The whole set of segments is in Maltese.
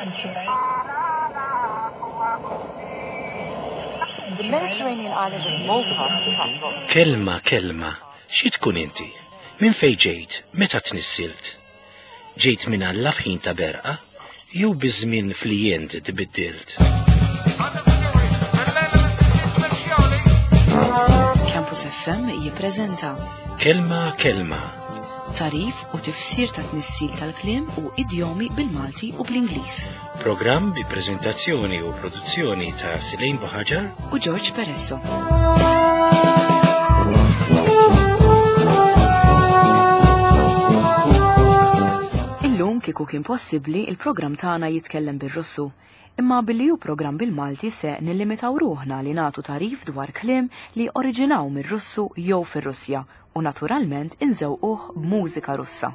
The Mediterranean island of Malta attracts lots of Kelma kelma, xi tkun inti? Minn fejn ġejt? Meta tnissilt? Ġejt minn Alla f'ħin ta' berqa? Jew biż-żmien fli jent tbiddilt? Campus FM jippreżenta Kelma kelma, tarif u tifsir ta' tnissil tal-kliem u idjomi bil-Malti u bl-Ingliż. programm bi preżentazzjoni u produzzjoni ta' Silejn Buħaġar U George Peresso. Illum kieku kien possibbli il-programm tagħna jitkellem bir-Russu. Imma billi hu programm bil-Malti se nillimitaw ruħna li nagħtu tarif dwar kliem li oriġinaw mir-Russu jew fir-Russja u naturalment inżewquh b'mużika Russa.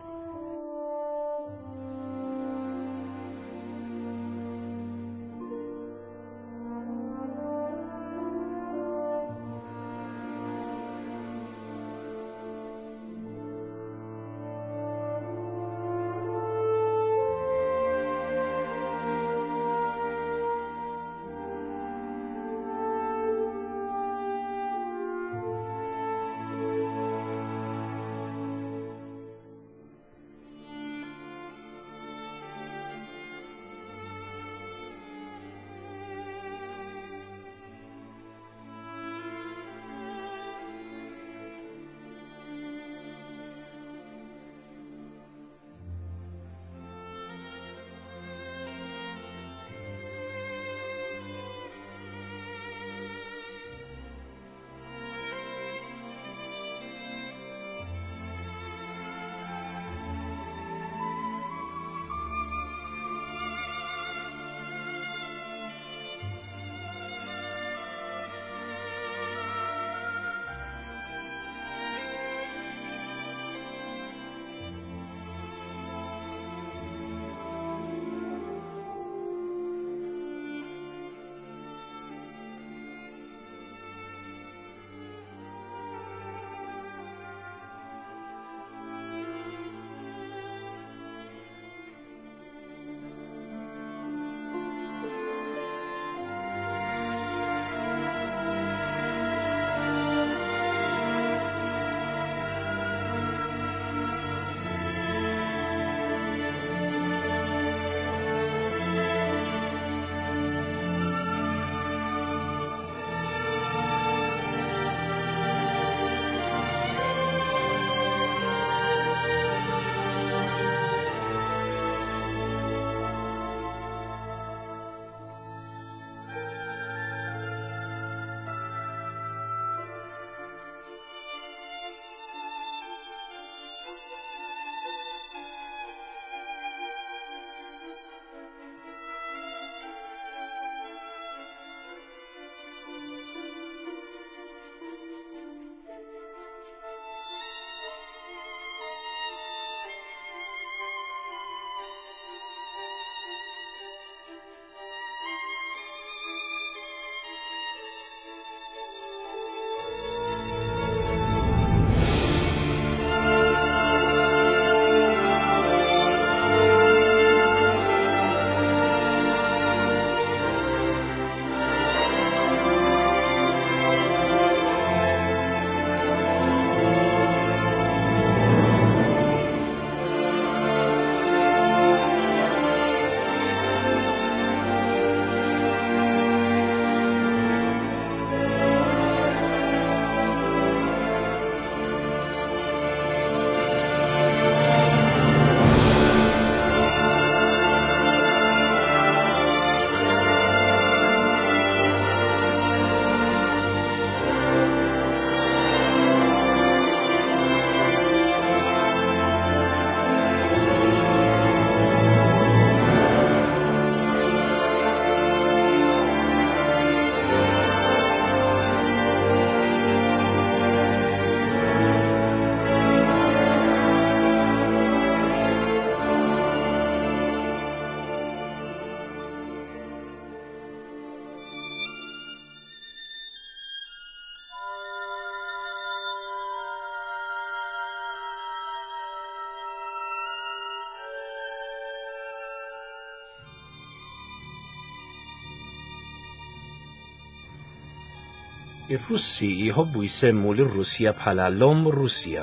Ir-Russi jħobbu jsemmu lir-Russja bħala l-Omm Russja.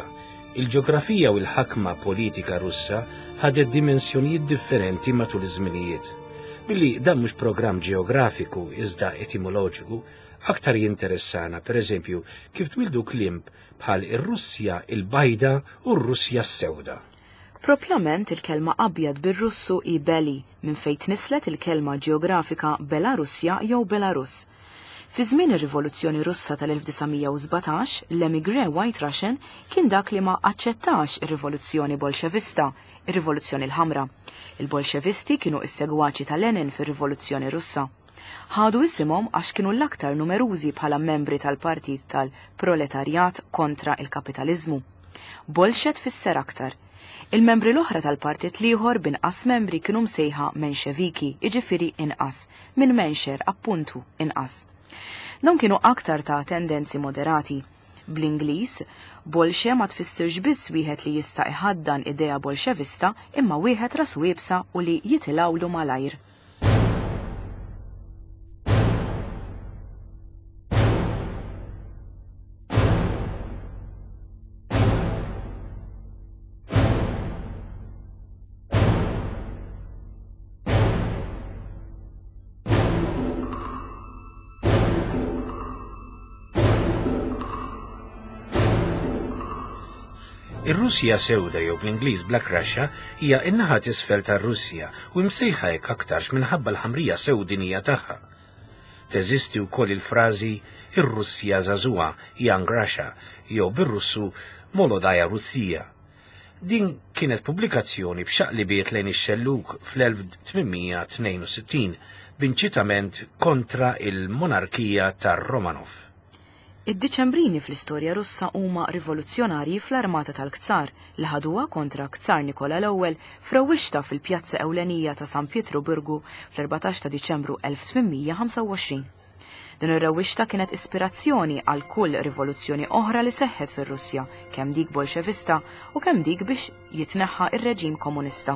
Il-ġeografija u l-ħakma politika Russa ħadet dimensjonijiet differenti matul iż-żminijiet. Billi dan mhux programm ġeografiku iżda etimoloġiku, aktar jinteressana, pereżempju, kif twildu kliem bħal ir-Russja il-bajda u r-Russja s-sewda. Propjament il-kelma abjad bir-Russu hi beli, minn fejn tnisslet il-kelma ġeografika Belarussja jew Belarus. Fi żmien ir-Rivoluzzjoni Russa tal-1917, l-emigré White Russian kien dak li ma aċċettax ir-Rivoluzzjoni Bolxevista, ir-Rivoluzzjoni l-Ħamra. Il-Bolxevisti kienu s-segwaċi ta' Lenin fir-Rivoluzzjoni Russa. Ħadu isimhom għax kienu l-aktar numerużi bħala membri tal-partit tal-proletarjat kontra il-kapitaliżmu. Bolxe tfisser aktar. Il-membri l-oħra tal-partit l-ieħor b'inqas membri kienu msejħa Menxeviki, jiġifieri inqas, minn mensher, appuntu, inqas. Dawn kienu aktar ta' tendenzi moderati. Bl-Ingliż, bolxe ma tfissirx biss wieħed li jista' iħaddan idea bolxevista imma wieħed rasu iebsa u li jitilgħulu malajr. Ir-Russja Sewda jew bl-Ingliż Black Russia hija n-naħa t'isfel tar-Russja u msejħa hekk aktarx minħabba l-ħamrija sewdinija tagħha. Teżisti wkoll il-frażi ir-Russja żagħżugħa, Young Russia, jew bir-Russu Molodaya Russija. Din kienet pubblikazzjoni b'xaqlibiet lejn ix-xellug fl-1862 b'inċitament kontra il-monarkija tar-Romanov. Id-Diċembrini fl-istorja Russa huma rivoluzzjonarji fl-armata tal-Kzar li ħaduha kontra Kzar Nikola l-Ewwel f'rewwixta fil-pjazza ewlenija ta' San Pietruburgu fl-14 ta' Diċembru 1825. Din ir-rewwixta kienet ispirazzjoni għal kull rivoluzzjoni oħra li seħħet fir-Russja, kemm dik Bolxevista u kemm dik biex jitneħħa ir-reġim komunista.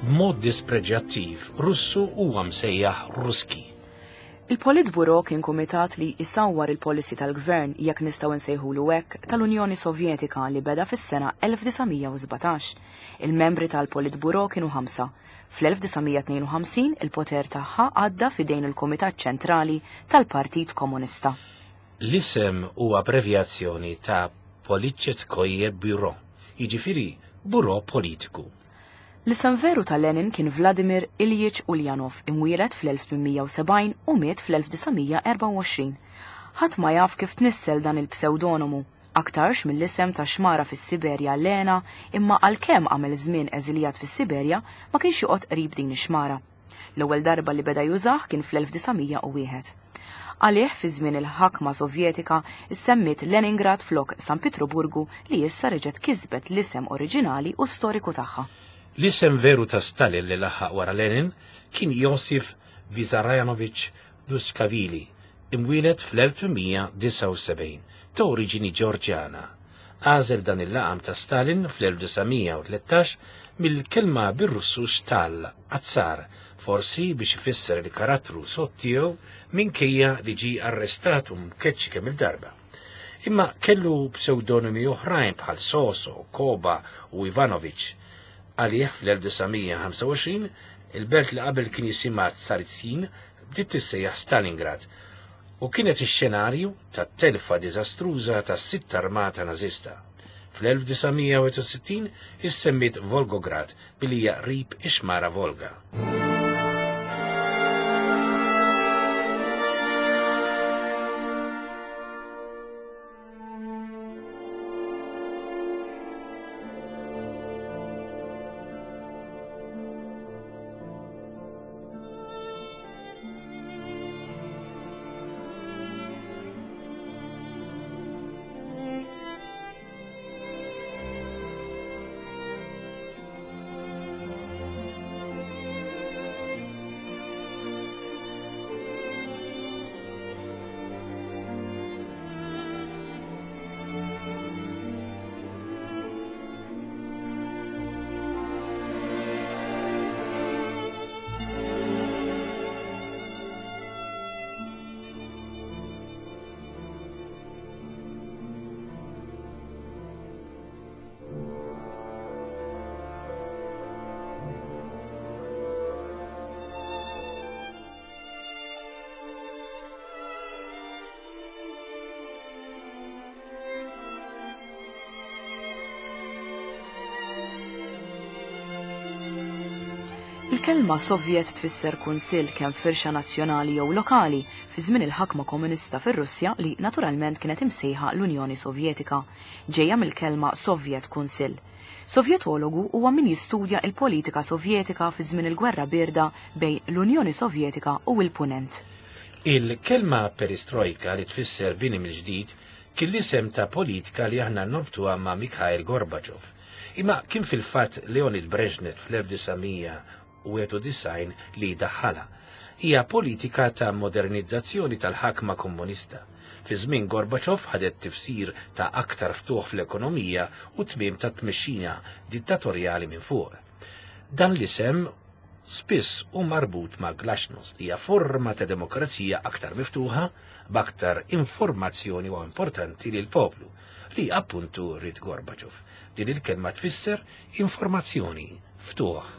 B'mod dispreġjattiv, Russu huwa msejjaħ Ruski. Il-Politburo kien kumitat li jsawwar il-policy tal-gvern, jekk nistgħu nsejħulu hekk, tal-Unjoni Sovjetika li beda fis-sena 1917. Il-membri tal-Politburo kienu ħamsa. Fl-1952 il-poter tagħha għadda f'idejn il-Kumitat Ċentrali tal-Partit Komunista. L-isem huwa abbrevjazzjoni ta' Politcheskoye Bureau, jiġifieri Bureau Politiku. L-isem veru ta' Lenin kien Vladimir Ilyich Ulyanov, imwieled fl-1870 u miet fl-1924. Ħadd ma jaf kif tnissel dan il-psewdonomu, aktarx mill-isem ta' xmara fis-Siberja Lena, imma għalkemm għamel żmien eżiljat fis-Siberja ma kienx joqgħod qrib din ix-xmara. L-ewwel darba li beda jużah kien fl-1901. Għalih fi żmien il-ħakma Sovjetika ssemmiet Leningrad flok San Pietruburgu li issa reġgħet kisbet l-isem oriġinali u storiku tagħha. L-isem veru ta' Stalin li laħaq wara Lenin kien Josif Vissarionovich Duskavili, imwieled fl-1879, ta' oriġini Ġorġjana. Għażel dan il-laqam ta' Stalin fl-1913 mill-kelma bir-Russu stal, azzar, forsi biex ifisser il-karattru sod tiegħu minkejja li ġie arrestat u mkeċċi kemm il-darba. Imma kellu pseudonimi oħrajn bħal Soso, Koba u Ivanovic. Għalih fl-1925 il-belt li qabel kien jisimha Tsaritsyn bdiet tissejjaħ Stalingrad u kienet ix-xenarju tat-telfa diżastruża tas-Sitt Armata Nażista. Fl-1961 issemmiet Volgograd billi hija qrib ix-xmara Volga. Il-kelma Sovjet tfisser kunsill kemm firxa nazzjonali jew lokali fi żmien il-ħakma komunista fir-Russja li naturalment kienet imsejħa l-Unjoni Sovjetika, ġejja mill-kelma Sovjet Kunsill. Sovjetologu huwa min jistudja il-politika Sovjetika fi żmien il-Gwerra Bierda bejn l-Unjoni Sovjetika u l-Punent. Il-kelma perestrojka li tfisser bini mill-ġdid kien l-isem ta' politika li aħna norbtuha ma' Mikhail Gorbachev. Imma kien fil-fatt Leonid Brezhnev fl-1991 li daħħalha. Hija politika ta' modernizzazzjoni tal-ħakma komunista. Fi żmien Gorbachev ħadet tifsir ta' aktar ftuħ fl-ekonomija u tmiem ta' tmexxija dittatorjali minn fuq. Dan l-isem spiss hu marbut ma' Glasnost, li hija forma ta' demokrazija aktar miftuħa, b'aktar informazzjoni u importanti lil poplu, li appuntu ried Gorbachev. Din il-kelma tfisser informazzjoni, ftuħ.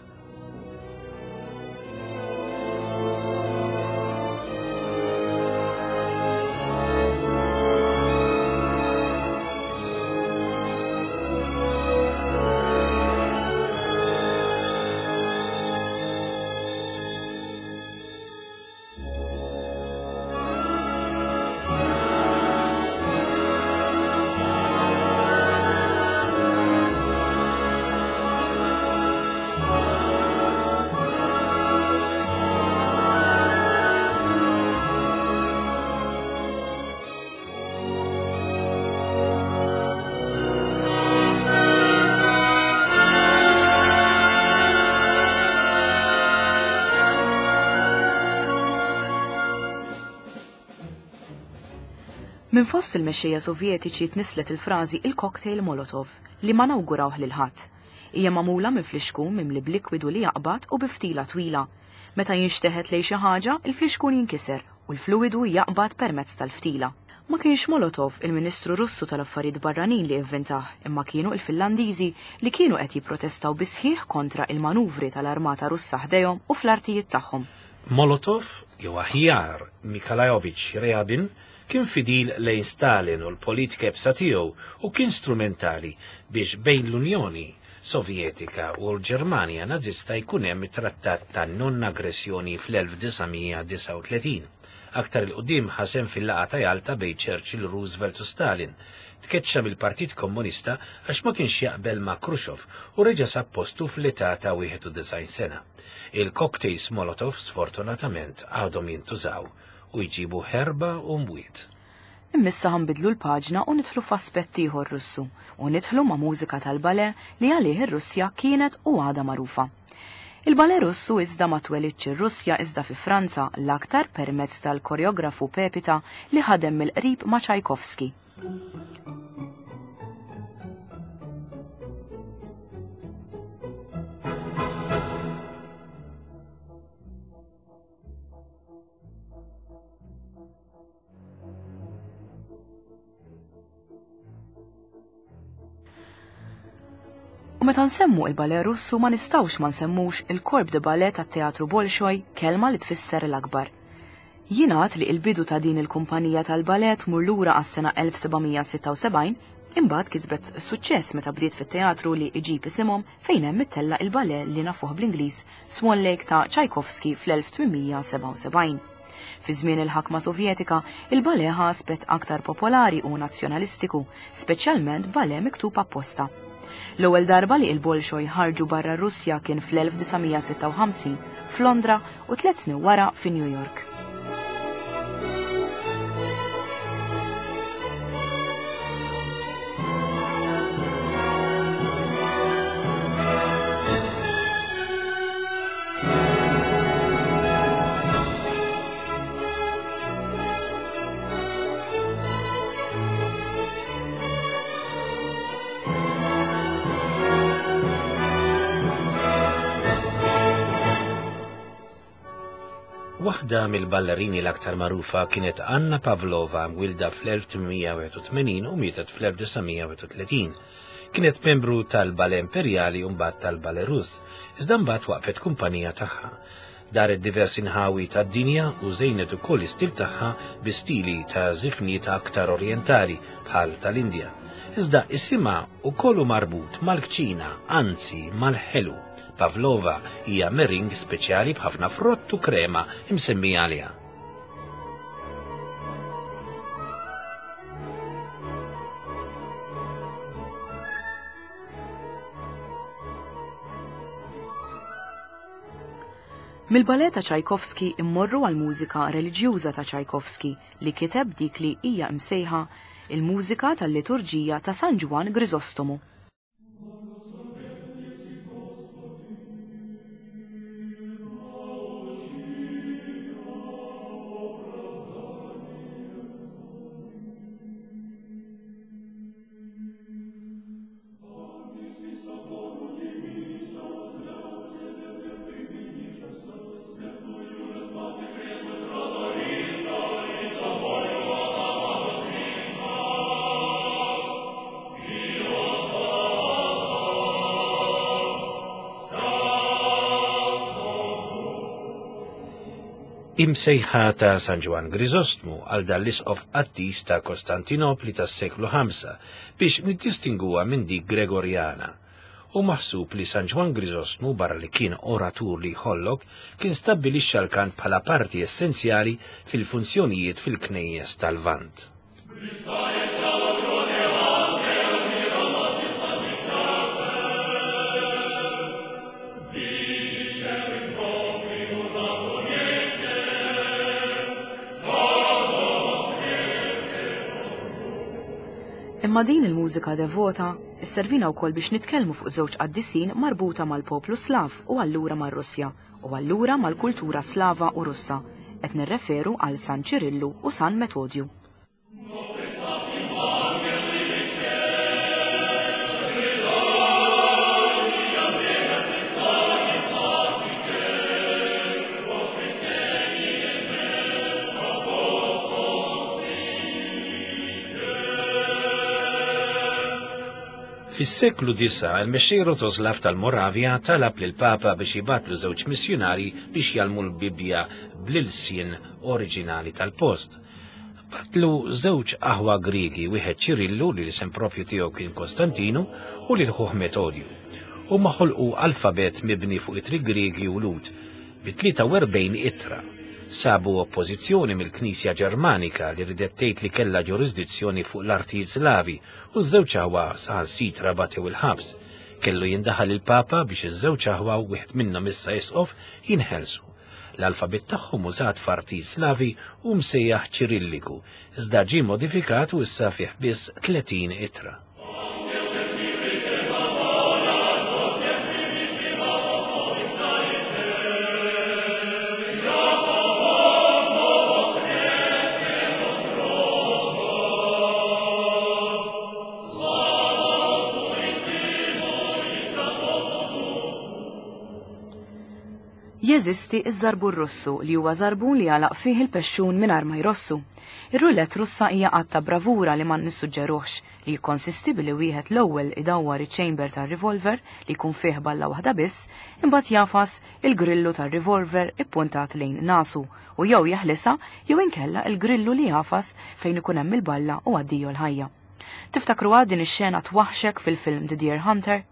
Minn fost il-mexxejja Sovjetiċi tnisslet il-frażi il-cocktail Molotov li ma nawgurawh lil ħadd. Hija magħmula minn flixkun mimli b'likwidu li jaqbad u bi ftila twila. Meta jinxteħet lejn xi ħaġa, il-flixkun jinkiser u l-fluwidu jaqbad permezz tal-ftila. Ma kienx Molotov, il-Ministru Russu tal-Affarijiet Barranin li ivvintah, imma kienu il-Finlandiżi li kienu qed jipprotestaw bis-sħiħ kontra il-manuvri tal-Armata Russa ħdejhom u fl-artijiet tagħhom. Molotov, jew aħjar Mikhailovich Ryabin, kien fidil lejn Stalin u l-politika iebsa tiegħu u kien strumentali biex bejn l-Unjoni Sovjetika u l-Ġermanja Nazista jkun hemm it-Trattat ta' Non-Aggressjoni fl-1939. Aktar 'il quddiem ħa sehem fil-laqgħa ta' Jalta bejn Churchill, Roosevelt u Stalin. Tkeċċa mill-Partit Komunista għax ma kienx jaqbel ma' Khrushchev u reġa' sab postu fl-età ta' 91 sena. Il-cocktails Molotov sfortunatament għadhom jintużaw u jġibu ħerba u mwiet. Imma issa ħa nbiddlu l-paġna u nidħlu f'aspett ieħor Russu u nidħlu ma' mużika tal-balè li għalih ir-Russja kienet u għadha magħrufa. Il-balè Russu iżda ma twelidx ir-Russja iżda fi Franza l-aktar permezz tal-koreografu Pepita li ħadem mill-qrib ma' Tchaikovsky. U meta nsemmu il-ballet Russu ma nistgħux ma nsemmux il-Corps de Ballet tat-Teatru Bolshoi, kelma li tfisser l-akbar. Jingħad li il-bidu ta' din il-kumpanija tal-ballet tmur lura għas-sena 1776, imbagħad kisbet suċċess meta bdiet fit-teatru li iġib isimhom fejn hemm ittella' il-ballet li nafuh bl-Ingliż Swan Lake ta' Tchaikovsky fl-1877. Fi żmien il-ħakma Sovjetika, il-ballet ħa aspett aktar popolari u nazzjonalistiku, speċjalment ballet miktub apposta. L-ewwel darba li il-Bolshoi ħarġu barra r-Russja kien fl-1956 f'Londra u 3 snin wara fi New York. Waħda mill-ballerini l-aktar magħrufa kienet Anna Pavlova, mwilda fl-1881 u mietet fl-1931. Kienet membru tal-Ballet Imperjali u mbagħad tal-Ballet Russ, iżda mbagħad waqfet kumpanija tagħha. Daret diversi nħawi tad-dinja u żejnet ukoll l-istil tagħha bi stili ta' żifniet aktar orjentali bħal tal-Indja. Iżda isimha wkoll hu marbut mal-kċina, anzi mal-ħelu. Pavlova hija meringue speċjali b'ħafna frott u krema imsemmija għaliha. Mill-ballet ta' Tchaikovsky immorru għall-mużika reliġjuża ta' Tchaikovsky li kiteb dik li hija imsejħa il-mużika tal-liturġija ta' San Ġwann Grisostomu. Imsejħa ta' San Ġwann Griżostmu għal dan l-isqof qaddis ta' Kostantinopli tas-seklu 5 biex niddistingwuha minn dik Gregorjana. Hu maħsub li San Ġwann Griżostmu barra li kien oratur li jħollok, kien stabbilixxa l-kant bħala parti essenzjali fil-funzjonijiet fil-knejjes tal-Lvant. Imma din il-mużika devota sservina wkoll biex nitkellmu fuq żewġ qaddisin marbuta mal-poplu Slav u allura mar-Russja u allura mal-kultura Slava u Russa. Qed nirreferu għal San Ċirillu u San Metodju. Fis-seklu 9 il-mexxej Rotoslav tal-Moravja talab lil Papa biex jibgħatlu żewġ missjunari biex jgħallmu l-Bibbja bl-ilsien oriġinali tal-post. Bagħatlu żewġ aħwa Griegi, wieħed Ċirillu li l-isem propju tiegħu kien Kostantinu u lil ħuh Metodju. Huma ħolqu alfabet mibni fuq ittri Griegi u Lhud bi 43 ittra. Sabu oppożizzjoni mill-Knisja Ġermanika li ridet tgħid li kellha ġurisdizzjoni fuq l-artijiet Slavi u ż-żewġ aħwa saħansitra batew il-ħabs. Kellu jindaħal il-Papa biex iż-żewġ aħwa wieħed minnhom issa isqof jinħelsu. L-alfabet tagħhom użat f'artijiet Slavi hu msejjaħ Ċirilliku, iżda ġie modifikat u issa fih biss 30 ittra. Jeżisti ż-żarbun Russu li huwa żarbun li jagħlaq fih il-pexxun mingħajr ma jrossu. Ir-roulette Russa hija att ta' bravura li ma nissuġġeruhx, li jikkonsisti billi wieħed l-ewwel idawwar iċ-chamber tar-revolver li jkun fih balla waħda biss, imbagħad jagħfas il-grillu tar-revolver ippuntat lejn nasu u jew jeħlisha jew inkella il-grillu li jagħfas fejn ikun hemm il-balla u addio l-ħajja. Tiftakruha din ix-xena twaħħxek fil-film The Deer Hunter?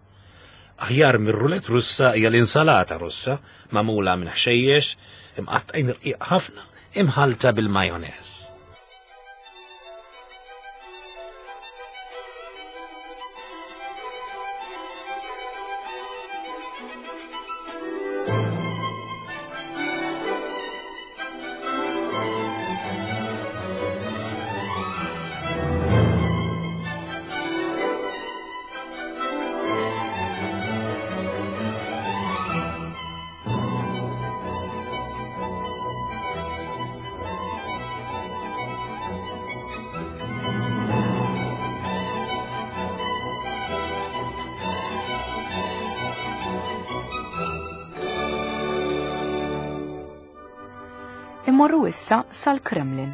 Aħjar mir-rulett Russa hija l-insalata Russa, magħmula minn ħxejjex imqattgħin irqiq ħafna imħallta bil-majoneż. Immorru issa sal-Kremlin.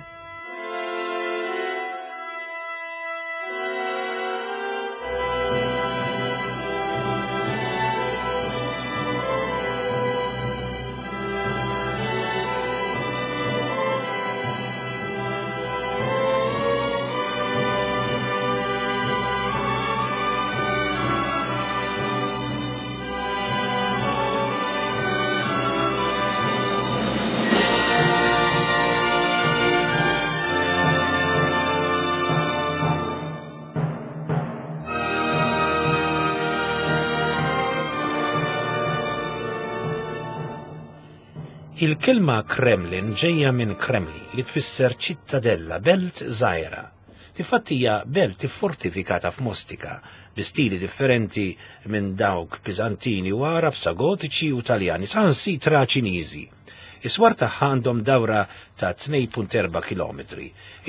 Il-kelma Kremlin ġejja minn Kremli li tfisser ċittadella, belt żgħira. Tifatti hija belt iffortifikata f'Mostika bi stili differenti minn dawk Biżantini u Għarab sa Gotiċi u Taljani saħansitra Ċiniżi. Is-swar tagħha għandhom dawra ta' 2.4 km.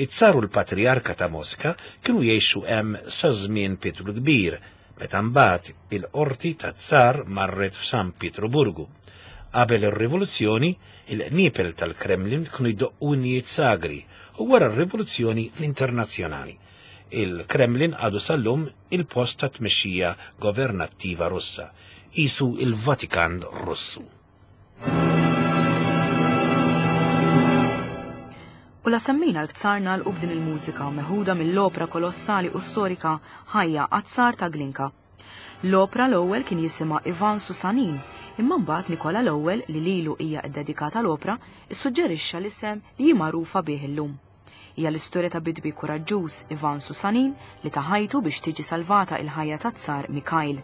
It-tsar u l-Patrijarka ta' Moska kienu jgħixu hemm sa żmien Pietru l-Kbir, meta mbagħad il-qorti tat-tsar marret f'San Pietruburgu. Qabel ir-rivoluzzjoni, il-qniepel tal-Kremlin kienu jdoqqu innijiet sagri u wara r-rivoluzzjoni l-internazzjonali. Il-Kremlin għadu sal-lum il-post ta' tmexxija governattiva Russa, qisu il-Vatikan Russu. U la semmejna l-ktsar nagħlqu b'din il-mużika meħuda mill-opra kolossali u storika Ħajja għat-Tsar ta' Glinka. L-opra l-ewwel kien jisimha Ivan Susanin, imma mbagħad Nikola l-Ewwel li lilu hija ddedikata l-opra, issuġġerixxa l-isem li hi magħrufa bih illum. Hija l-istorja ta' bidwi kuraġġuż Ivan Susanin li ta ħajtu biex tiġi salvata il-ħajja tat-Tsar Mikhail.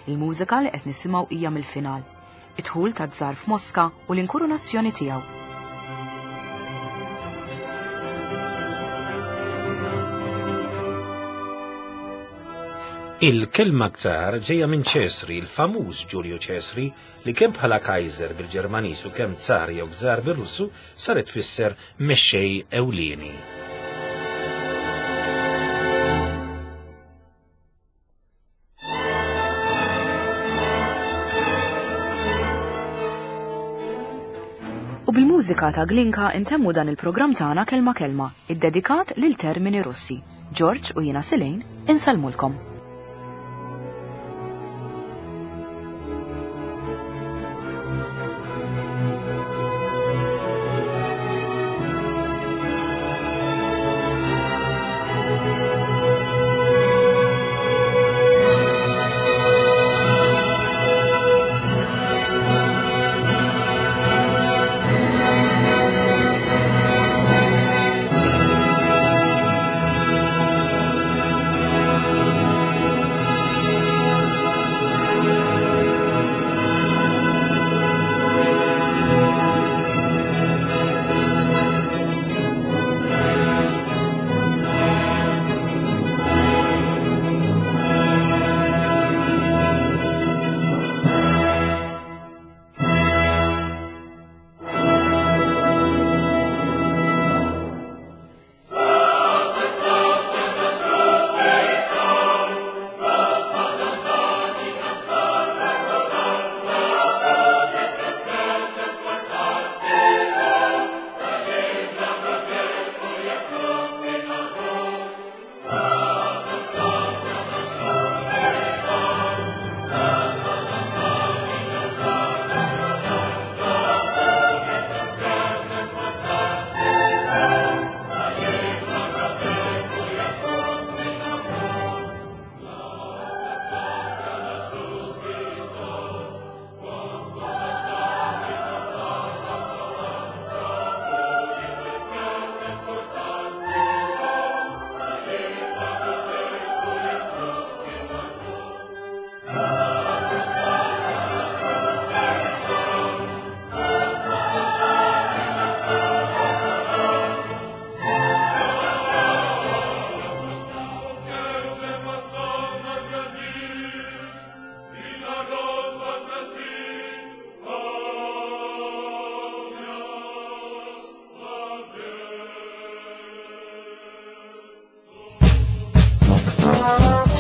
Il-mużika li qed nisimgħu hija mill-final. Id-dħul tat-Tsar f'Moska u l-inkurunazzjoni tiegħu. Il-kelma ktar ġejja minn Ċesri, il-famuż Ġulju Ċesri, li kemm bħala Kaiser bil-Ġermaniż u kemm Tsar jew Gżar bir-Russu saret tfisser mexxej ewlieni. U bil-mużika ta' Glinka intemmu dan il-programm tagħna Kelma Kelma, iddedikat lil termini Russi. George u jiena Silejn insellmulkom.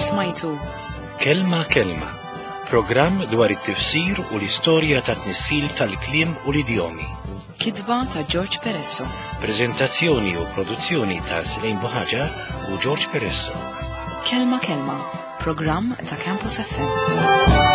Smajtu Kelma Kelma, programm dwar it-tifsir u l-istorja ta' tnissil tal-kliem u l-idjomi. Kitba ta' George Peresso. Prezentazzjoni u produzzjoni ta' Slejn Buħaġar u George Peresso. Kelma Kelma, programm ta' Campus FM.